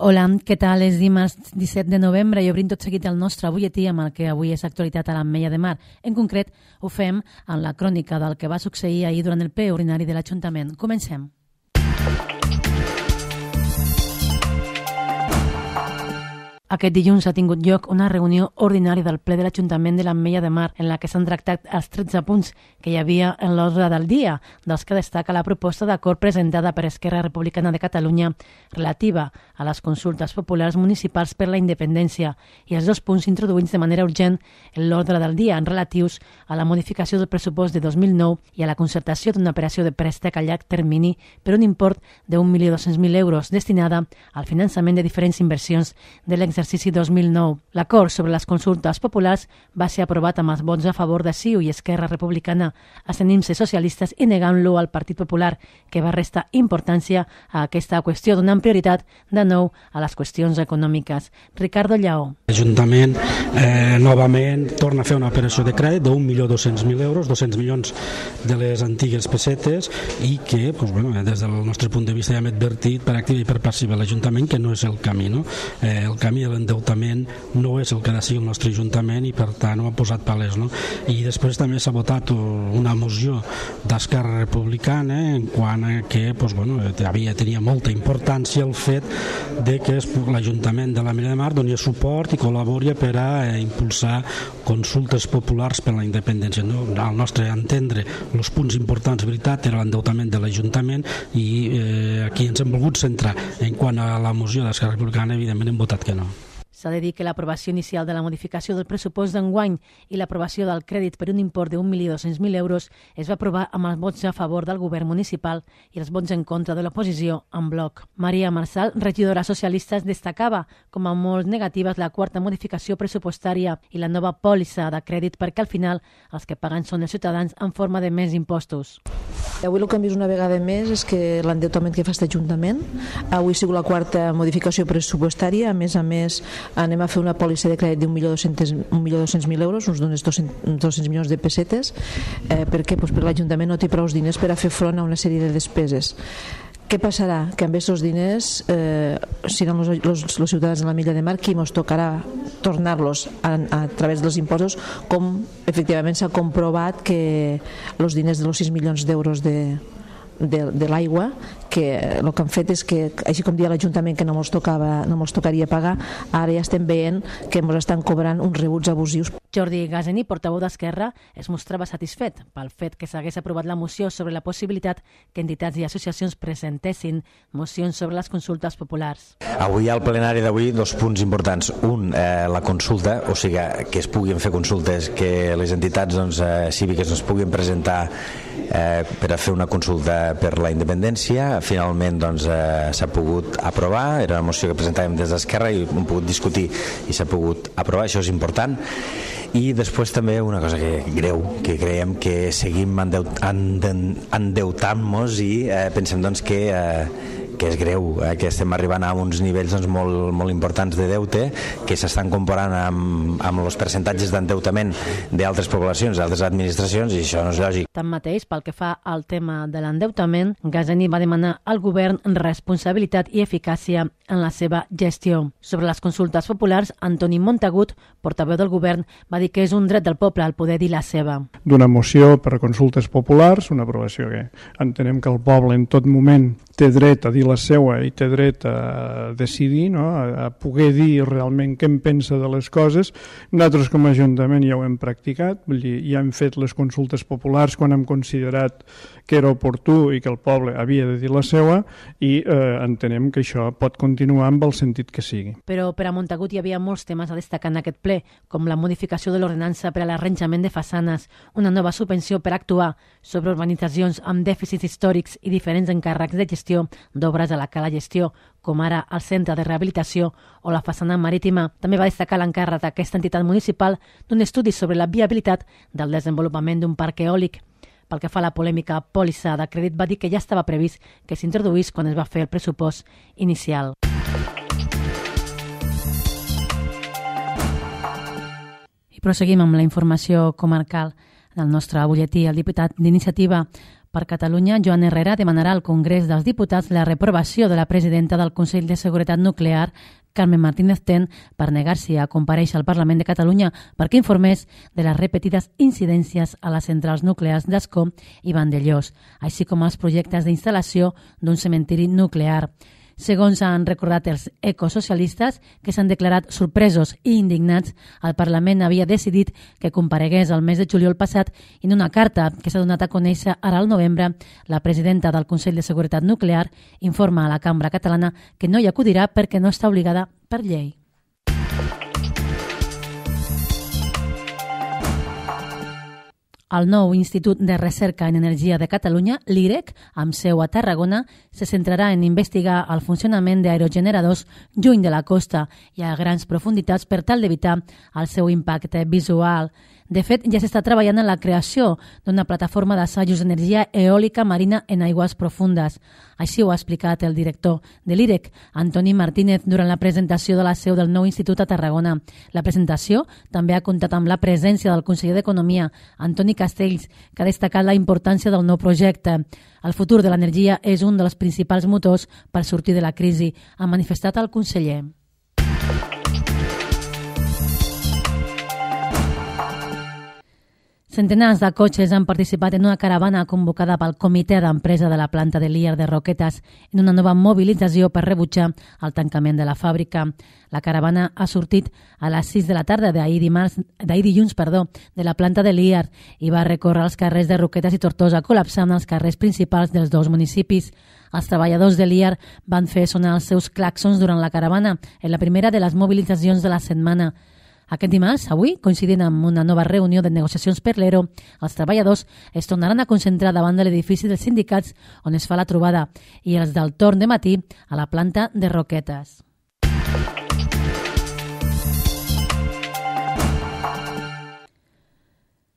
Hola, què tal? És dimarts 17 de novembre i obrim tot seguit el nostre butlletí amb el que avui és actualitat a l'Ametlla de Mar. En concret, ho fem en la crònica del que va succeir ahir durant el ple ordinari de l'Ajuntament. Comencem. Aquest dilluns ha tingut lloc una reunió ordinària del ple de l'Ajuntament de l'Ametlla de Mar en la que s'han tractat els 13 punts que hi havia en l'ordre del dia, dels que destaca la proposta d'acord presentada per Esquerra Republicana de Catalunya relativa a les consultes populars municipals per la independència i els dos punts introduïts de manera urgent en l'ordre del dia en relatius a la modificació del pressupost de 2009 i a la concertació d'una operació de préstec a llarg termini per un import de 1.200.000 euros destinada al finançament de diferents inversions de l'exercici 2009. L'acord sobre les consultes populars va ser aprovat amb els vots a favor de CiU i Esquerra Republicana, abstenint-se socialistes i negant-lo al Partit Popular, que va restar importància a aquesta qüestió, donant prioritat de nou a les qüestions econòmiques. Ricardo Lleó. L'Ajuntament novament torna a fer una operació de crèdit de 1.200.000 euros, 200 milions de les antigues pessetes i que, des del nostre punt de vista ja hem advertit per activa i per passiva l'Ajuntament que no és el camí. El camí de l'endeutament no és el que ha de ser el nostre Ajuntament i per tant ho ha posat palès. I després també s'ha votat una moció d'Esquerra Republicana en quant a que tenia molta importància el fet de que l'Ajuntament de l'Ametlla de Mar doni suport i col·labori per a impulsar consultes populars per la independència. Al nostre entendre, els punts importants, veritat, era l'endeutament de l'Ajuntament i aquí ens hem volgut centrar. En quant a la moció d'Esquerra Republicana, evidentment hem votat que no. S'ha de dir que l'aprovació inicial de la modificació del pressupost d'enguany i l'aprovació del crèdit per un import de 1.200.000 euros es va aprovar amb els vots a favor del govern municipal i els vots en contra de l'oposició en bloc. Maria Marçal, regidora socialista, destacava com a molt negatives la quarta modificació pressupostària i la nova pòlissa de crèdit perquè al final els que paguen són els ciutadans en forma de més impostos. Avui el que hem vist una vegada més és que l'endeutament que fa aquest Ajuntament, avui ha sigut la quarta modificació pressupostària, a més, anem a fer una pòlissa de crèdit d'1.200.000 euros, uns 200 milions de pessetes. Per què? Perquè l'Ajuntament no té prou diners per a fer front a una sèrie de despeses. Què passarà? Que amb aquests diners seran els ciutadans de l'Ametlla de Mar qui ens tocarà tornar-los a través dels impostos, com efectivament s'ha comprovat que els diners de els 6 milions d'euros de l'aigua, que el que han fet és que, així com dia l'Ajuntament que no ens tocaria pagar, ara ja estem veient que ens estan cobrant uns rebuts abusius. Jordi Gaseni, portaveu d'Esquerra, es mostrava satisfet pel fet que s'hagués aprovat la moció sobre la possibilitat que entitats i associacions presentessin mocions sobre les consultes populars. Avui al plenari d'avui dos punts importants. Un, la consulta, o sigui que es puguin fer consultes, que les entitats cíviques es puguin presentar per a fer una consulta per la independència. Finalment s'ha pogut aprovar, era una moció que presentàvem des d'Esquerra i hem pogut discutir i s'ha pogut aprovar, això és important. I després també una cosa greu, que creiem que seguim endeutant-nos i pensem que és greu, que estem arribant a uns nivells molt importants de deute que s'estan comparant amb els percentatges d'endeutament d'altres poblacions, d'altres administracions, i això no és lògic. Tanmateix, pel que fa al tema de l'endeutament, Gaseni va demanar al govern responsabilitat i eficàcia en la seva gestió. Sobre les consultes populars, Antoni Montagut, portaveu del govern, va dir que és un dret del poble al poder dir la seva. D'una moció per a consultes populars, una aprovació que entenem que el poble en tot moment té dret a dir la seva i té dret a decidir, a poder dir realment què en pensa de les coses. Nosaltres com a Ajuntament ja ho hem practicat, vull dir, ja hem fet les consultes populars quan hem considerat que era oportú i que el poble havia de dir la seva i entenem que això pot continuar amb el sentit que sigui. Però per a Montagut hi havia molts temes a destacar en aquest ple, com la modificació de l'ordenança per a l'arranjament de façanes, una nova subvenció per actuar sobre urbanitzacions amb dèficits històrics i diferents encàrrecs de gestió d'obres a la Cala Gestió, com ara el Centre de Rehabilitació o la façana marítima. També va destacar l'encàrrec d'aquesta entitat municipal d'un estudi sobre la viabilitat del desenvolupament d'un parc eòlic. Pel que fa a la polèmica pòlissa de crèdit, va dir que ja estava previst que s'introduís quan es va fer el pressupost inicial. I proseguim amb la informació comarcal del nostre butlletí. El diputat d'Iniciativa Per Catalunya, Joan Herrera demanarà al Congrés dels Diputats la reprovació de la presidenta del Consell de Seguretat Nuclear, Carmen Martínez Ten, per negar-se a comparèixer al Parlament de Catalunya perquè informés de les repetides incidències a les centrals nuclears d'Ascó i Vandellós, així com als projectes d'instal·lació d'un cementiri nuclear. Segons han recordat els ecosocialistes, que s'han declarat sorpresos i indignats, el Parlament havia decidit que comparegués el mes de juliol passat i en una carta que s'ha donat a conèixer ara al novembre, la presidenta del Consell de Seguretat Nuclear informa a la Cambra Catalana que no hi acudirà perquè no està obligada per llei. El nou Institut de Recerca en Energia de Catalunya, l'IREC, amb seu a Tarragona, se centrarà en investigar el funcionament d'aerogeneradors lluny de la costa i a grans profunditats per tal d'evitar el seu impacte visual. De fet, ja s'està treballant en la creació d'una plataforma d'assajos d'energia eòlica marina en aigües profundes. Així ho ha explicat el director de l'IREC, Antoni Martínez, durant la presentació de la seu del nou institut a Tarragona. La presentació també ha comptat amb la presència del conseller d'Economia, Antoni Castells, que ha destacat la importància del nou projecte. El futur de l'energia és un dels principals motors per sortir de la crisi, ha manifestat el conseller. Centenars de cotxes han participat en una caravana convocada pel Comitè d'Empresa de la planta de Líer de Roquetes en una nova mobilització per rebutjar el tancament de la fàbrica. La caravana ha sortit a les 6 de la tarda d'ahir dilluns, de la planta de Líer i va recórrer els carrers de Roquetes i Tortosa, col·lapsant els carrers principals dels dos municipis. Els treballadors de Líer van fer sonar els seus claxons durant la caravana, en la primera de les mobilitzacions de la setmana. Aquest dimarts, avui, coincidint amb una nova reunió de negociacions per l'ERO, els treballadors es tornaran a concentrar davant de l'edifici dels sindicats on es fa la trobada i els del torn de matí a la planta de Roquetes.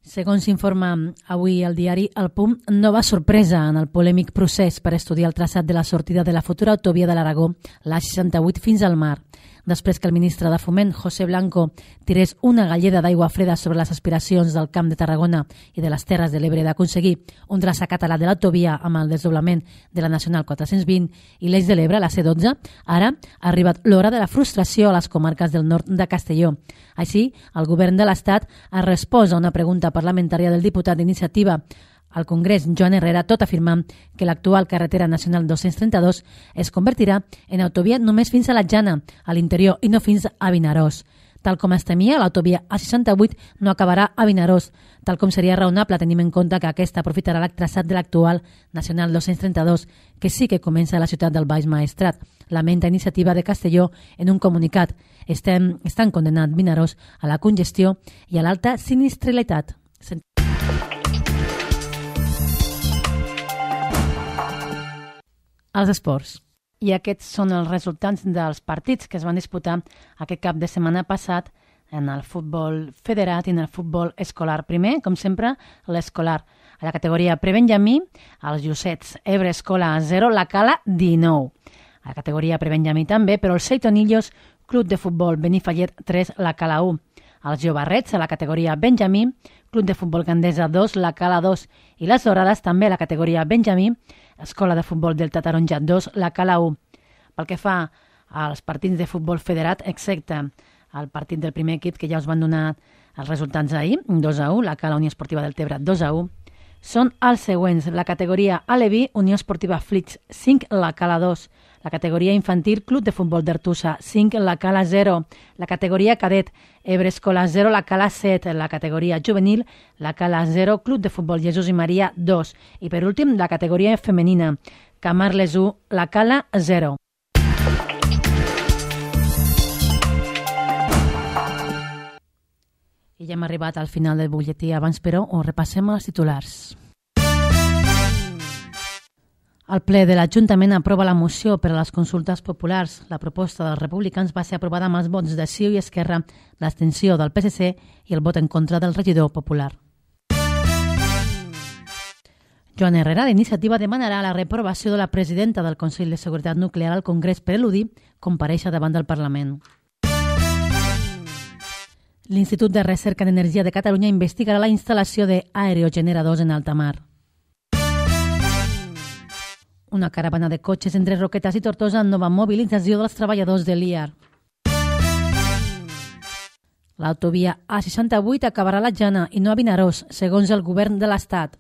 Segons s'informa avui el diari El Punt, nova sorpresa en el polèmic procés per estudiar el traçat de la sortida de la futura autovia de l'Aragó, l'A68 fins al mar. Després que el ministre de Foment, José Blanco, tirés una galleda d'aigua freda sobre les aspiracions del Camp de Tarragona i de les Terres de l'Ebre d'aconseguir un traçat català de l'autovia amb el desdoblament de la Nacional 420 i l'Eix de l'Ebre, la C12, ara ha arribat l'hora de la frustració a les comarques del nord de Castelló. Així, el govern de l'Estat ha respost a una pregunta parlamentària del diputat d'Iniciativa al Congrés, Joan Herrera, tot afirmant que l'actual carretera nacional 232 es convertirà en autovia només fins a la Jana, a l'interior, i no fins a Vinaròs. Tal com es temia, l'autovia A68 no acabarà a Vinaròs, tal com seria raonable tenint en compte que aquesta aprofitarà el traçat de l'actual nacional 232, que sí que comença a la ciutat del Baix Maestrat. Lamenta Iniciativa de Castelló en un comunicat. Estan condenant Vinaròs a la congestió i a l'alta sinistralitat. Els esports. I aquests són els resultats dels partits que es van disputar aquest cap de setmana passat en el futbol federat i en el futbol escolar. Primer, com sempre, l'escolar. A la categoria prebenjamí, els Llucets, Ebre Escola 0, la Cala 19. A la categoria prebenjamí també, però els Seitonillos, Club de Futbol Benifallet 3, la Cala 1. Els Jovarrets, a la categoria benjamí, Club de Futbol Gandesa 2, la Cala 2. I les Dorades, també a la categoria benjamí, Escola de Futbol Delta Taronja 2, la Cala 1. Pel que fa als partits de futbol federat, excepte el partit del primer equip, que ja us van donar els resultats ahir, 2-1, la Cala Unió Esportiva del Tebre 2-1, són els següents. La categoria Aleví, Unió Esportiva Flix 5, la Cala 2. La categoria infantil, Club de Futbol d'Artussa 5, la Cala 0. La categoria cadet, Ebre Escola 0, la Cala 7. La categoria juvenil, la Cala 0, Club de Futbol Jesús i Maria 2. I per últim, la categoria femenina, Camarles 1, la Cala 0. I ja hem arribat al final del butlletí. Abans, però, ho repassem els titulars. El ple de l'Ajuntament aprova la moció per a les consultes populars. La proposta dels republicans va ser aprovada amb els vots de CiU i Esquerra, l'abstenció del PSC i el vot en contra del regidor popular. Joan Herrera, d'Iniciativa, demanarà la reprovació de la presidenta del Consell de Seguretat Nuclear al Congrés per eludir comparèixer davant del Parlament. L'Institut de Recerca en Energia de Catalunya investigarà la instal·lació d'aerogeneradors en alta mar. Una caravana de cotxes entre Roquetes i Tortosa en nova mobilització dels treballadors de l'IAR. L'autovia A68 acabarà a la Jana i no a Vinaròs, segons el govern de l'Estat.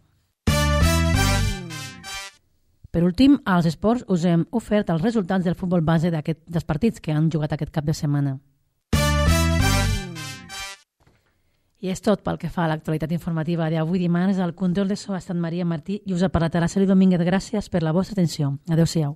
Per últim, als esports us hem ofert els resultats del futbol base dels partits que han jugat aquest cap de setmana. I és tot pel que fa a l'actualitat informativa d'avui dimarts. El control de so ha estat Maria Martí i us ha parlat Araceli Domínguez. Gràcies per la vostra atenció. Adéu-siau.